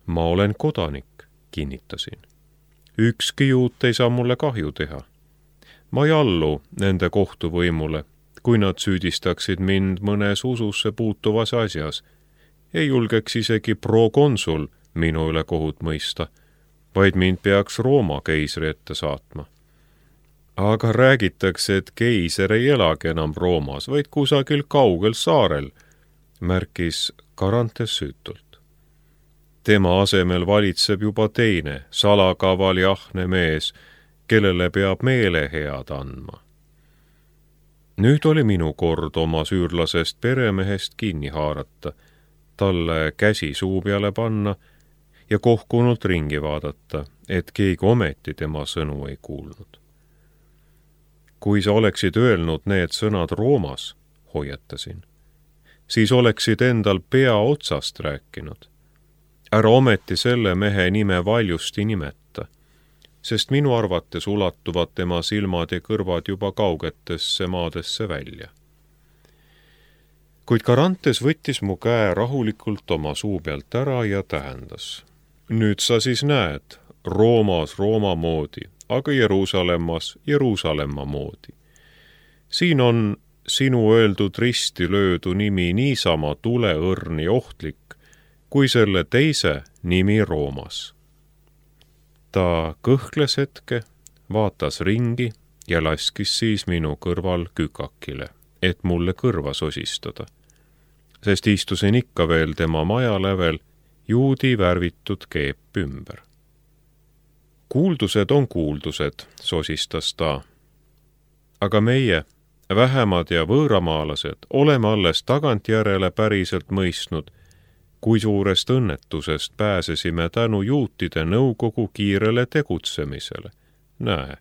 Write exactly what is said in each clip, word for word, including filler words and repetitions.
Ma olen kodanik, kinnitasin. Ükski juut ei saa mulle kahju teha. Ma ei allu nende kohtuvõimule, kui nad süüdistaksid mind mõnes ususse puutuvas asjas. Ei julgeks isegi prokonsul minu üle kohut mõista, vaid mind peaks Rooma keisri ette saatma. Aga räägitakse, et keiser ei elagi enam Roomas, vaid kusagil kaugel saarel, märkis Carantes süütult. Tema asemel valitseb juba teine, salakaval ja ahne mees, kellele peab meelehead andma. Nüüd oli minu kord oma süürlasest peremehest kinni haarata, talle käsi suu peale panna ja kohkunult ringi vaadata, et keegi ometi tema sõnu ei kuulnud. Kui sa oleksid öelnud need sõnad Roomas, hoiatasin, siis oleksid endal pea otsast rääkinud. Ära ometi selle mehe nime valjusti nimeta, sest minu arvates ulatuvad tema silmad ja kõrvad juba kaugetesse maadesse välja. Kuid Carantes võttis mu käe rahulikult oma suu pealt ära ja tähendas. Nüüd sa siis näed, Roomas Rooma moodi, aga Jeruusalemmas Jeruusalemma moodi. Siin on sinu öeldud risti löödu nimi niisama tuleõrn ja ohtlik, kui selle teise nimi Roomas. Ta kõhkles hetke, vaatas ringi ja laskis siis minu kõrval kükakile, et mulle kõrva sosistada, sest istusin ikka veel tema maja lävel juudi värvitud keep ümber. Kuuldused on kuuldused, sosistas ta. Aga meie, vähemad ja võõramaalased, oleme alles tagantjärele päriselt mõistnud, kui suurest õnnetusest pääsesime tänu juutide nõukogu kiirele tegutsemisele. Näe,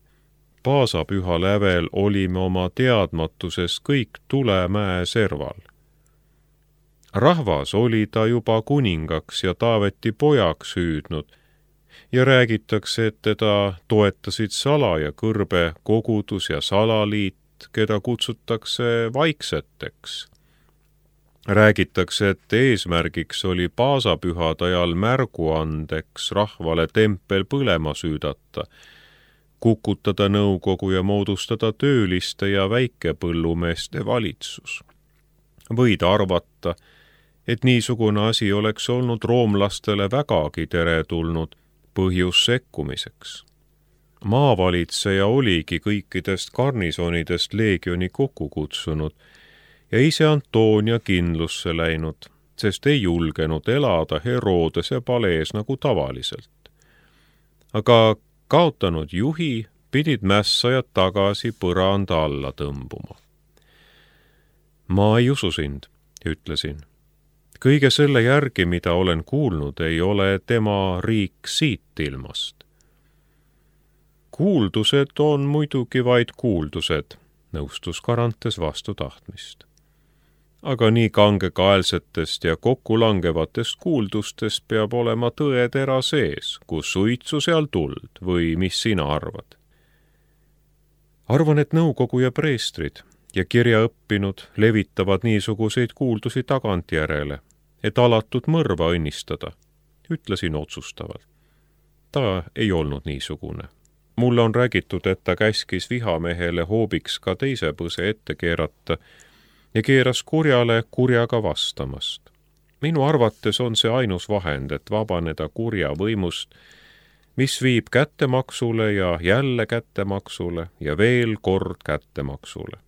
Paasapüha lävel olime oma teadmatuses kõik Tulemäe serval. Rahvas oli ta juba kuningaks ja Taaveti pojaks hüüdnud ja räägitakse, et teda toetasid sala ja kõrbe kogudus ja salaliit, keda kutsutakse vaikseteks. Räägitakse, et eesmärgiks oli Paasapühade ajal märguandeks rahvale tempel põlema süüdata, kukutada nõukogu ja moodustada tööliste ja väikepõllumeeste valitsus. Võid arvata, et niisugune asi oleks olnud roomlastele vägagi teretulnud põhjus sekkumiseks. Maavalitseja oligi kõikidest garnisonidest leegioni kokku kutsunud ja ise Antonia kindlusse läinud, sest ei julgenud elada Herodese palees nagu tavaliselt. Aga kaotanud juhi pidid mässajad tagasi põranda alla tõmbuma. Ma ei usu sind, ütlesin. Kõige selle järgi, mida olen kuulnud, ei ole tema riik siit ilmast. Kuuldused on muidugi vaid kuuldused, nõustus Carantes vastu tahtmist. Aga nii kangekaelsetest ja kokkulangevatest kuuldustest peab olema tõetera sees, kus suitsu seal tuld või mis sina arvad? Arvan, et nõukogu ja preestrid ja kirjaõppinud levitavad niisuguseid kuuldusi tagantjärele, et alatud mõrva õnnistada, ütlesin otsustavalt. Ta ei olnud niisugune. Mulle on räägitud, et ta käskis vihamehele hoobiks ka teise põse ette keerata ja keeras kurjale kurjaga vastamast. Minu arvates on see ainus vahend, et vabaneda kurja võimust, mis viib kättemaksule ja jälle kättemaksule ja veel kord kättemaksule.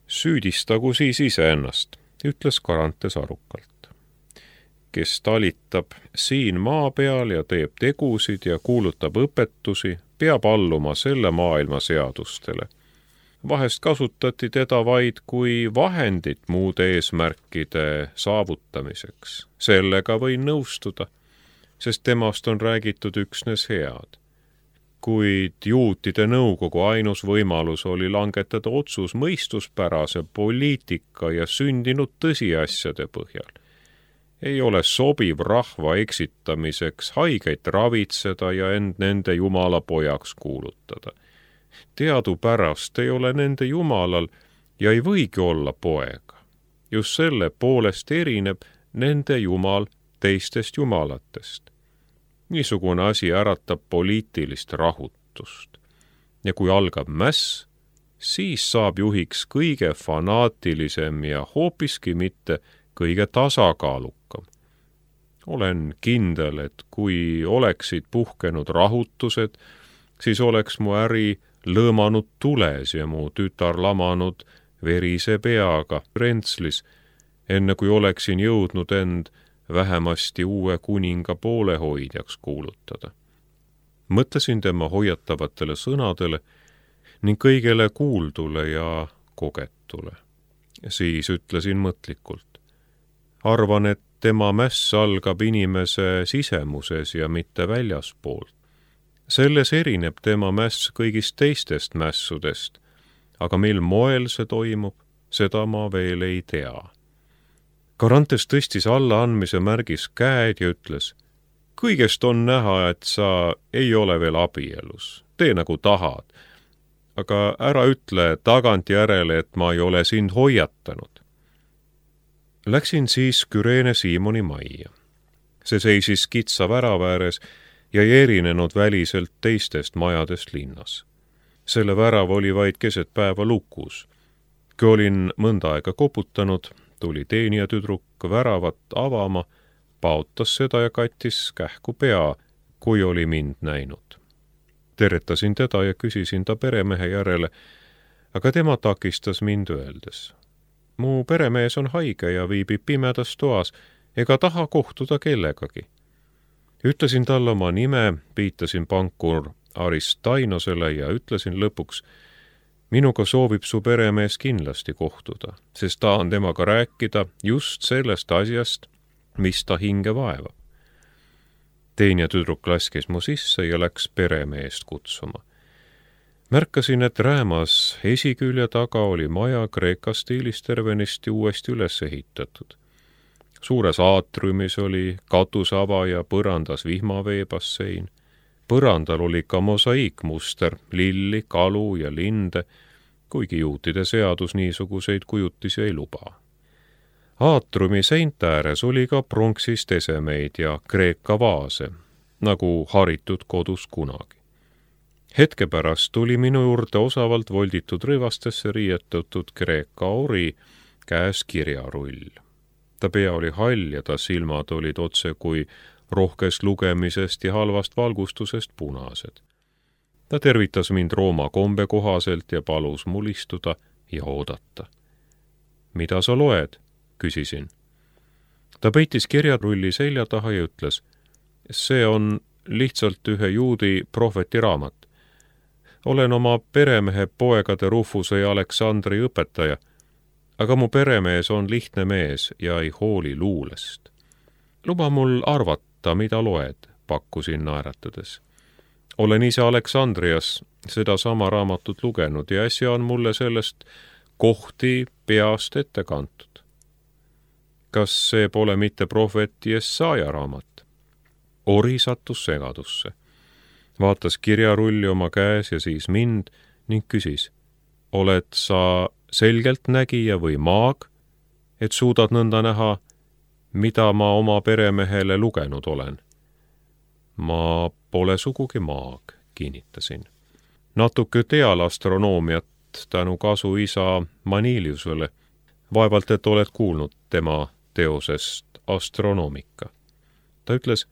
Süüdistagu siis iseennast, ütles Carantes arukalt. Kes talitab siin maa peal ja teeb tegusid ja kuulutab õpetusi, peab alluma selle maailma seadustele. Vahest kasutati teda vaid kui vahendit muude eesmärkide saavutamiseks. Sellega võin nõustuda, sest temast on räägitud üksnes head. Kuid juutide nõukogu ainus võimalus oli langetada otsus mõistuspärase poliitika ja sündinud tõsiasjade põhjal. Ei ole sobiv rahva eksitamiseks haigeid ravitseda ja end nende jumala pojaks kuulutada. Teadupärast ei ole nende jumalal ja ei võigi olla poega. Just selle poolest erineb nende jumal teistest jumalatest. Niisugune asi äratab poliitilist rahutust. Ja kui algab mäss, siis saab juhiks kõige fanaatilisem ja hoopiski mitte kõige tasakaalukam. Olen kindel, et kui oleksid puhkenud rahutused, siis oleks mu äri lõõmanud tules ja mu tütar lamanud verise peaga Rentslis, enne kui oleksin jõudnud end vähemasti uue kuninga poolehoidjaks kuulutada. Mõtlesin tema hoiatavatele sõnadele ning kõigele kuuldule ja kogetule. Siis ütlesin mõtlikult. Arvan, et tema mäss algab inimese sisemuses ja mitte väljaspoolt. Selles erineb tema mäss kõigist teistest mässudest, aga mil moel see toimub, seda ma veel ei tea. Garantes tõstis alla andmise märgis käed ja ütles, kõigest on näha, et sa ei ole veel abielus, tee nagu tahad, aga ära ütle tagantjärele, et ma ei ole sind hoiatanud. Läksin siis Küreene Siimoni majja. See seisis kitsa värava ääres ja ei erinenud väliselt teistest majadest linnas. Selle värav oli vaid keset päeva lukus. Kui olin mõnda aega koputanud, tuli teenijatüdruk väravat avama, paotas seda ja kattis kähku pea, kui oli mind näinud. Teretasin teda ja küsisin ta peremehe järele, aga tema takistas mind öeldes. Mu peremees on haige ja viibib pimedas toas ega taha kohtuda kellegagi. Ütlesin talle oma nime, viitasin pankur Aristainosele ja ütlesin lõpuks, minuga soovib su peremees kindlasti kohtuda, sest tahan temaga rääkida just sellest asjast, mis ta hinge vaevab. Teenijatüdruk laskis mu sisse ja läks peremeest kutsuma. Märkasin, et räämas esikülje taga oli maja Kreeka stiilis tervenisti uuesti üles ehitatud. Suures aatriumis oli katusava ja põrandas vihmaveebassein. Põrandal oli ka mosaiikmuster, lilli, kalu ja linde, kuigi juutide seadus niisuguseid kujutisi ei luba. Aatriumi seinte ääres oli ka pronksist esemeid ja Kreeka vaase, nagu haritud kodus kunagi. Hetke pärast tuli minu juurde osavalt volditud rõivastesse riietatud Kreeka ori, käes kirjarull. Ta pea oli hall ja ta silmad olid otse kui rohkest lugemisest ja halvast valgustusest punased. Ta tervitas mind Rooma kombe kohaselt ja palus mul istuda ja oodata. Mida sa loed? Küsisin. Ta peitis kirjarulli selja taha ja ütles, see on lihtsalt ühe juudi prohveti raamat. Olen oma peremehe poegade Rufuse ja Aleksandri õpetaja, aga mu peremees on lihtne mees ja ei hooli luulest. Luba mul arvata, mida loed, pakkusin naeratades. Olen ise Aleksandrias seda sama raamatut lugenud ja äsja on mulle sellest kohti peast ette kantud. Kas see pole mitte prohvet Jesaja raamat? Ori sattus segadusse. Vaatas kirjarulli oma käes ja siis mind ning küsis, oled sa selgelt nägija või maag, et suudad nõnda näha, mida ma oma peremehele lugenud olen? Ma pole sugugi maag, kinnitasin. Natuke teal astronoomiat tänu kasu isa Maniliusele. Vaevalt, et oled kuulnud tema teosest Astronomika. Ta ütles,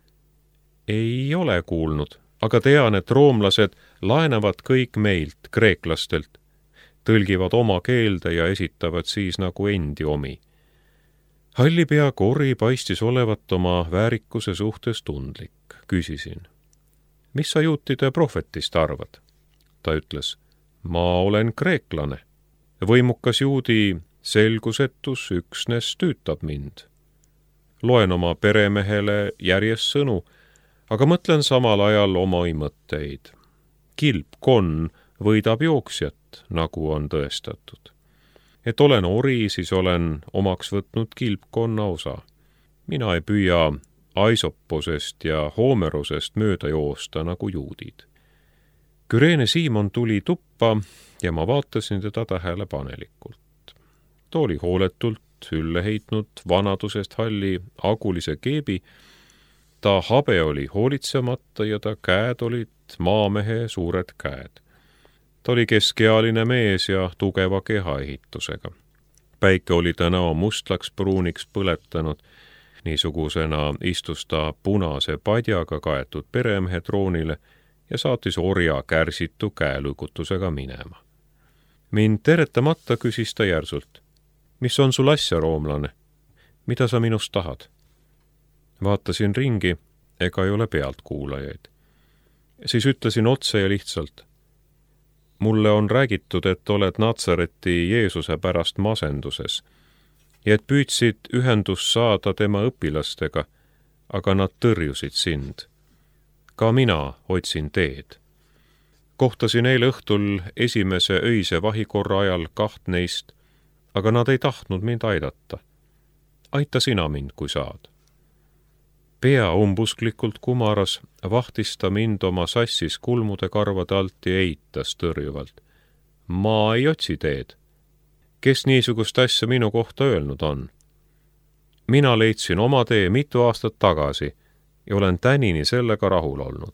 ei ole kuulnud, aga tean, et roomlased laenavad kõik meilt, kreeklastelt, tõlgivad oma keelde ja esitavad siis nagu endi omi. Hallipea Kori paistis olevat oma väärikuse suhtes tundlik. Küsisin, mis sa juutide prohvetist arvad? Ta ütles, ma olen kreeklane. Võimukas juudi selgusetus üksnes tüütab mind. Loen oma peremehele järjest sõnu, aga mõtlen samal ajal oma mõtteid. Kilpkonn võidab jooksjat, nagu on tõestatud. Et olen ori, siis olen omaks võtnud kilpkonna osa. Mina ei püüa Aisopposest ja Hoomerosest mööda joosta nagu juudid. Küreene Siimon tuli tuppa ja ma vaatasin teda tähelepanelikult. Ta oli hooletult ülle heitnud vanadusest halli agulise keebi. Ta habe oli hoolitsemata ja ta käed olid maamehe suured käed. Ta oli keskealine mees ja tugeva kehaehitusega. Päike oli ta näo mustlaks pruuniks põletanud. Niisugusena istus ta punase padjaga kaetud peremehe troonile ja saatis orja kärsitu käelõigutusega minema. Mind teretamata küsis ta järsult. Mis on sul asja, roomlane? Mida sa minust tahad? Vaatasin ringi, ega ei ole pealtkuulajaid. Siis ütlesin otse ja lihtsalt. Mulle on räägitud, et oled Natsareti Jeesuse pärast masenduses ja et püüdsid ühendust saada tema õpilastega, aga nad tõrjusid sind. Ka mina otsin teed. Kohtasin eile õhtul esimese öise vahikorra ajal kaht neist, aga nad ei tahtnud mind aidata. Aita sina mind, kui saad. Pea umbusklikult kumaras, vahtis ta mind oma sassis kulmude karvade alt ja eitas tõrjuvalt. Ma ei otsi teed. Kes niisugust asja minu kohta öelnud on? Mina leidsin oma tee mitu aastat tagasi ja olen tänini sellega rahul olnud.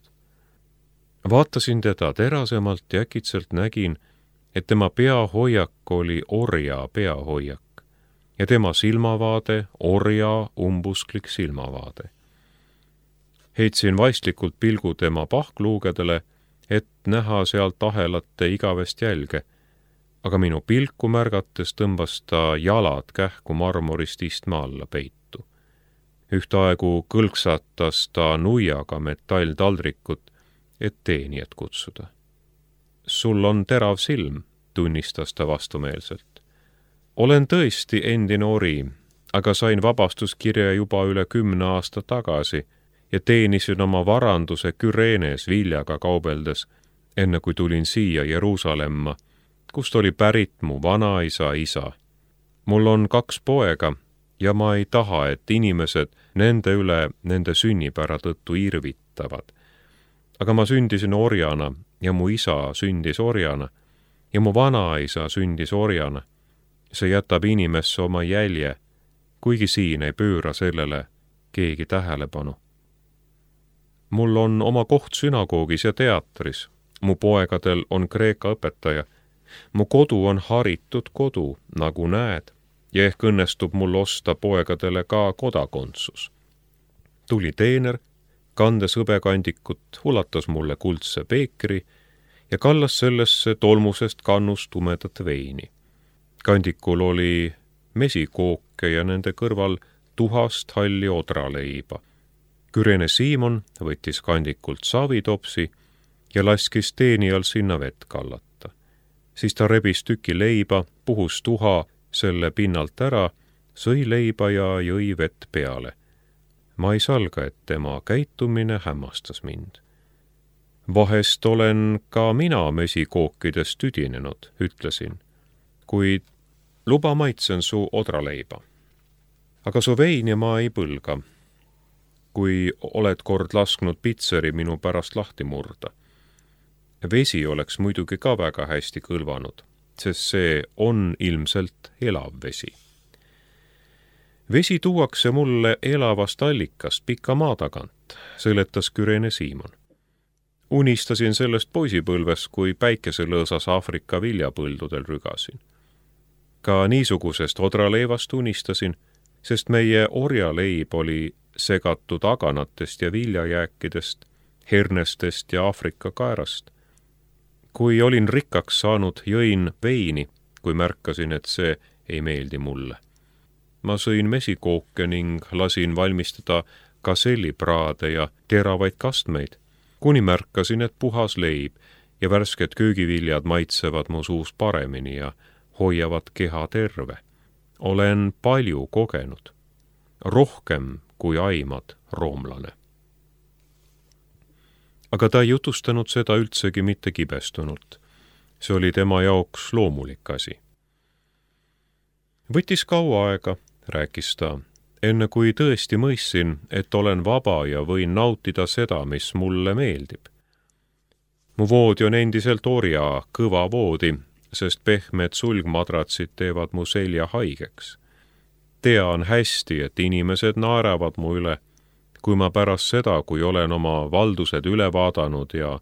Vaatasin teda terasemalt ja äkitselt nägin, et tema peahoiak oli orja peahoiak ja tema silmavaade orja umbusklik silmavaade. Heitsin vaistlikult pilgu tema pahkluugedele, et näha sealt ahelate igavest jälge, aga minu pilku märgates tõmbas ta jalad kähku marmorist istme alla peitu. Ühtaegu kõlksatas ta nuiaga metalltaldrikut, et teenijat kutsuda. Sul on terav silm, tunnistas ta vastumeelselt. Olen tõesti endine ori, aga sain vabastuskirja juba üle kümne aasta tagasi ja teenisin oma varanduse Küreenes viljaga kaubeldes, enne kui tulin siia Jeruusalemma, kust oli pärit mu vanaisa isa. Mul on kaks poega ja ma ei taha, et inimesed nende üle nende sünnipära tõttu irvitavad. Aga ma sündisin orjana ja mu isa sündis orjana ja mu vanaisa sündis orjana. See jätab inimesse oma jälje, kuigi siin ei pööra sellele keegi tähelepanu. Mul on oma koht sünagoogis ja teatris. Mu poegadel on kreeka õpetaja. Mu kodu on haritud kodu, nagu näed, ja ehk õnnestub mul osta poegadele ka kodakondsus. Tuli teener, kandes hõbekandikut, ulatas mulle kuldse peekri ja kallas sellesse tolmusest kannust tumedat veini. Kandikul oli mesikooke ja nende kõrval tuhast halli odraleiba. Küreene Siimon võttis kandikult savitopsi ja laskis teenijal sinna vett kallata. Siis ta rebis tüki leiba, puhus tuha selle pinnalt ära, sõi leiba ja jõi vett peale. Ma ei salga, et tema käitumine hämmastas mind. Vahest olen ka mina mesikookidest tüdinenud, ütlesin, kuid luba maitsen su odraleiba. Aga su veini ma ei põlga, kui oled kord lasknud pitseri minu pärast lahti murda. Vesi oleks muidugi ka väga hästi kõlvanud, sest see on ilmselt elav vesi. Vesi tuuakse mulle elavast allikast pika maa tagant, seletas Küreene Siimon. Unistasin sellest poisipõlves, kui päikeselõõsas Aafrika viljapõldudel rügasin. Ka niisugusest odraleivast unistasin, sest meie orjaleib oli segatud aganatest ja viljajääkidest, hernestest ja Aafrika kaerast. Kui olin rikkaks saanud, jõin veini, kui märkasin, et see ei meeldi mulle. Ma sõin mesikooke ning lasin valmistada kasellipraade ja teravaid kastmeid, kuni märkasin, et puhas leib ja värsked köögiviljad maitsevad mu suus paremini ja hoiavad keha terve. Olen palju kogenud, rohkem kui aimad, roomlane. Aga ta ei jutustanud seda üldsegi mitte kibestunult. See oli tema jaoks loomulik asi. Võttis kaua aega, rääkis ta, enne kui tõesti mõistsin, et olen vaba ja võin nautida seda, mis mulle meeldib. Mu voodi on endiselt orja, kõva voodi, sest pehmed sulgmadratsid teevad mu selja haigeks. tean hästi, et inimesed naeravad mu üle, kui ma pärast seda, kui olen oma valdused üle vaadanud ja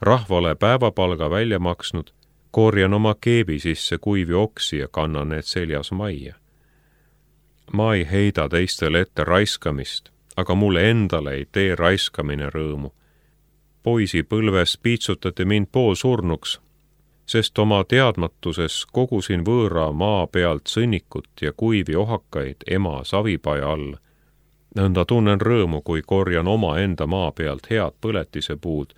rahvale päevapalga välja maksnud, korjan oma keebi sisse kuivi oksi ja kannan need seljas majja. Ma ei heida teistele ette raiskamist, aga mulle endale ei tee raiskamine rõõmu. Poisipõlves piitsutati mind poolsurnuks, sest oma teadmatuses kogusin võõra maa pealt sõnnikut ja kuivi ohakaid ema savipaja all. Nõnda tunnen rõõmu, kui korjan omaenda maa pealt head põletise puud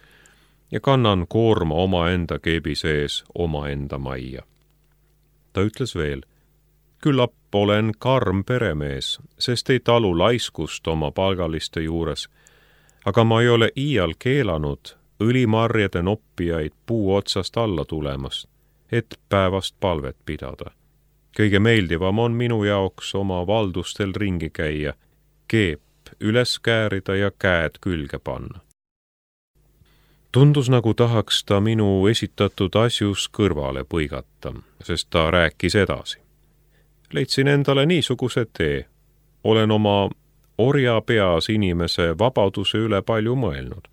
ja kannan koorma omaenda keebi sees omaenda majja. Ta ütles veel, küllap olen karm peremees, sest ei talu laiskust oma palgaliste juures, aga ma ei ole iial keelanud õlimarjade noppijaid puu otsast alla tulemast, et päevast palvet pidada. Kõige meeldivam on minu jaoks oma valdustel ringi käia, keep üles käärida ja käed külge panna. Tundus, nagu tahaks ta minu esitatud asjus kõrvale põigata, sest ta rääkis edasi. Leidsin endale niisuguse tee. Olen oma orja peas inimese vabaduse üle palju mõelnud.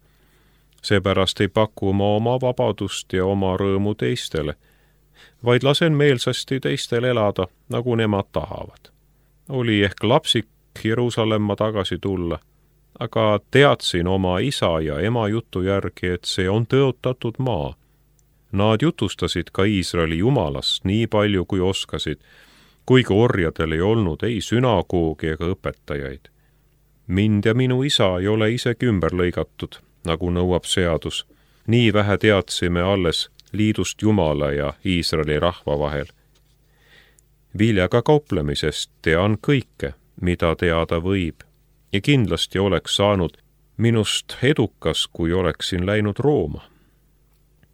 Seepärast ei paku ma oma vabadust ja oma rõõmu teistele, vaid lasen meelsasti teistel elada, nagu nemad tahavad. Oli ehk lapsik Jeruusalemma tagasi tulla, aga teadsin oma isa ja ema jutu järgi, et see on tõotatud maa. Nad jutustasid ka Iisraeli jumalast nii palju, kui oskasid, kuigi orjadel ei olnud ei sünagoogi ega õpetajaid. Mind ja minu isa ei ole isegi ümber lõigatud, nagu nõuab seadus. Nii vähe teadsime alles liidust Jumala ja Iisraeli rahva vahel. Viljaga kauplemisest tean kõike, mida teada võib, ja kindlasti oleks saanud minust edukas, kui oleksin läinud Rooma.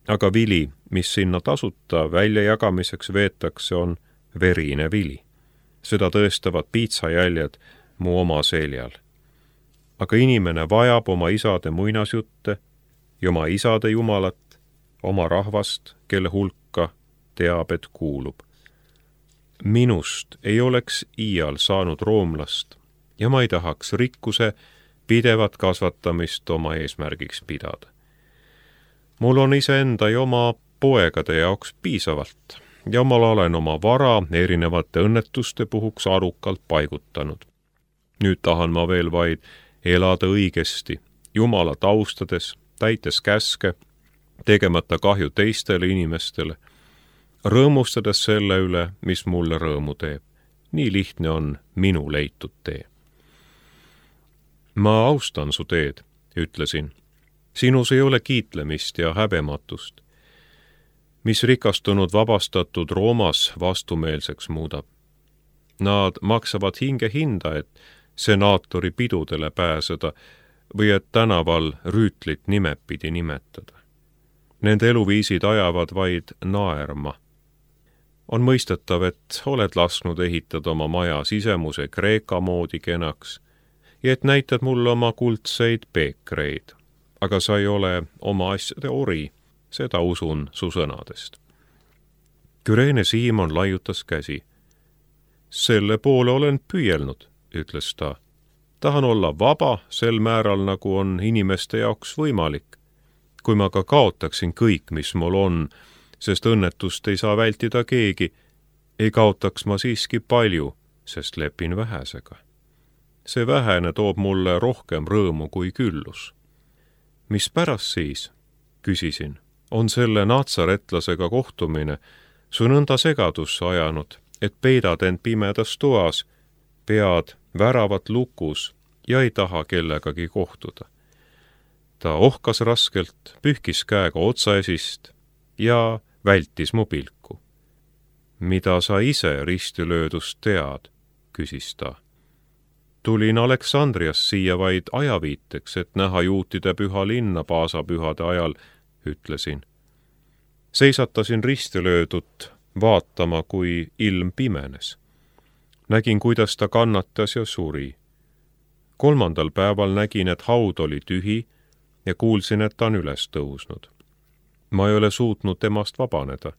Aga vili, mis sinna tasuta väljajagamiseks veetakse, on verine vili. Seda tõestavad piitsajäljed mu oma seljal. Aga inimene vajab oma isade muinasjutte ja oma isade jumalat, oma rahvast, kelle hulka teab, et kuulub. Minust ei oleks iial saanud roomlast ja ma ei tahaks rikkuse pidevat kasvatamist oma eesmärgiks pidada. Mul on iseenda ja oma poegade jaoks piisavalt ja ma olen oma vara erinevate õnnetuste puhuks arukalt paigutanud. Nüüd tahan ma veel vaid elada õigesti, Jumalat austades, täites käske, tegemata kahju teistele inimestele, rõõmustades selle üle, mis mulle rõõmu teeb. Nii lihtne on minu leitud tee. Ma austan su teed, ütlesin. Sinus ei ole kiitlemist ja häbematust, mis rikastunud vabastatud Roomas vastumeelseks muudab. Nad maksavad hinge hinda, et senaatori pidudele pääseda või et tänaval rüütlit nimepidi nimetada. Nende eluviisid ajavad vaid naerma. On mõistetav, et oled lasknud ehitada oma maja sisemuse Kreeka moodi kenaks ja et näitad mulle oma kuldseid peekreid, aga sa ei ole oma asjade ori, seda usun su sõnadest. Küreene Siimon laiutas käsi. Selle poole olen püüelnud, ütles ta. Tahan olla vaba sel määral, nagu on inimeste jaoks võimalik. Kui ma ka kaotaksin kõik, mis mul on, sest õnnetust ei saa vältida keegi, ei kaotaks ma siiski palju, sest lepin vähesega. See vähene toob mulle rohkem rõõmu kui küllus. Mis pärast siis, küsisin, on selle natsaretlasega kohtumine su nõnda segadusse ajanud, et peidad end pimedas toas, pead väravat lukus ja ei taha kellegagi kohtuda. Ta ohkas raskelt, pühkis käega otsaesist ja vältis mu pilku. Mida sa ise ristilöödust tead, küsis ta. Tulin Aleksandrias siia vaid ajaviiteks, et näha juutide püha linna paasapühade ajal, ütlesin. Seisatasin ristilöödut vaatama, kui ilm pimenes. Nägin, kuidas ta kannatas ja suri. Kolmandal päeval nägin, et haud oli tühi ja kuulsin, et ta on üles tõusnud. Ma ei ole suutnud temast vabaneda.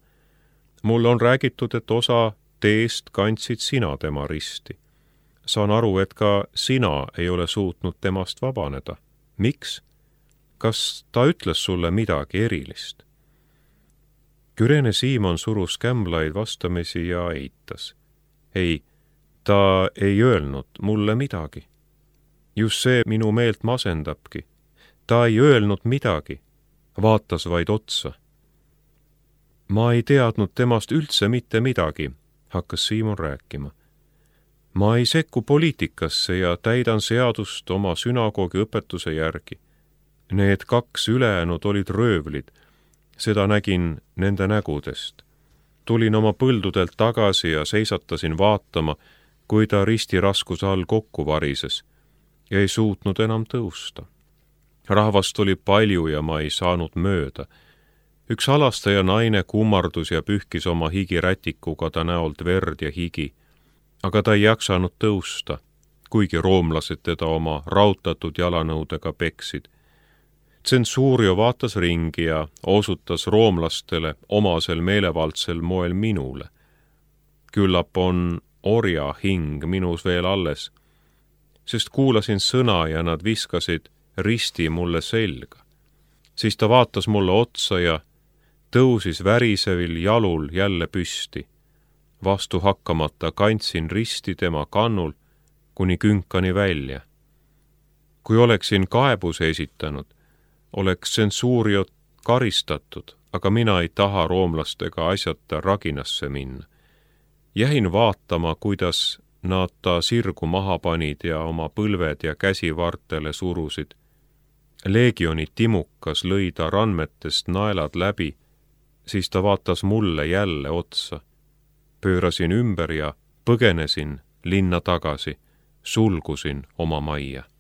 Mulle on räägitud, et osa teest kandsid sina tema risti. saan aru, et ka sina ei ole suutnud temast vabaneda. Miks? Kas ta ütles sulle midagi erilist? Kürene Siimon surus kämblaid vastamisi ja eitas. Ei, ta ei öelnud mulle midagi. Just see minu meelt masendabki. Ta ei öelnud midagi, vaatas vaid otsa. Ma ei teadnud temast üldse mitte midagi, hakkas Siimon rääkima. Ma ei sekku poliitikasse ja täidan seadust oma sünagoogi õpetuse järgi. Need kaks ülejäänud olid röövlid, seda nägin nende nägudest. Tulin oma põldudelt tagasi ja seisatasin vaatama, kui ta ristiraskuse all kokku varises ja ei suutnud enam tõusta. Rahvast oli palju ja ma ei saanud mööda. Üks halastaja naine kummardus ja pühkis oma higirätikuga ta näolt verd ja higi, aga ta ei jaksanud tõusta, kuigi roomlased teda oma rautatud jalanõudega peksid. Tsensuurio vaatas ringi ja osutas roomlastele omasel meelevaldsel moel minule. Küllap on orja hing minus veel alles, sest kuulasin sõna ja nad viskasid risti mulle selga. Siis ta vaatas mulle otsa ja tõusis värisevil jalul jälle püsti. Vastu hakkamata kandsin risti tema kannul kuni künkani välja. Kui oleksin kaebuse esitanud, oleks tsensuuriot karistatud, aga mina ei taha roomlastega asjata raginasse minna. Jäin vaatama, kuidas nad ta sirgu maha panid ja oma põlved ja käsi vartele surusid. Leegioni timukas lõi ta randmetest naelad läbi, siis ta vaatas mulle jälle otsa. Pöörasin ümber ja põgenesin linna tagasi, sulgusin oma majja.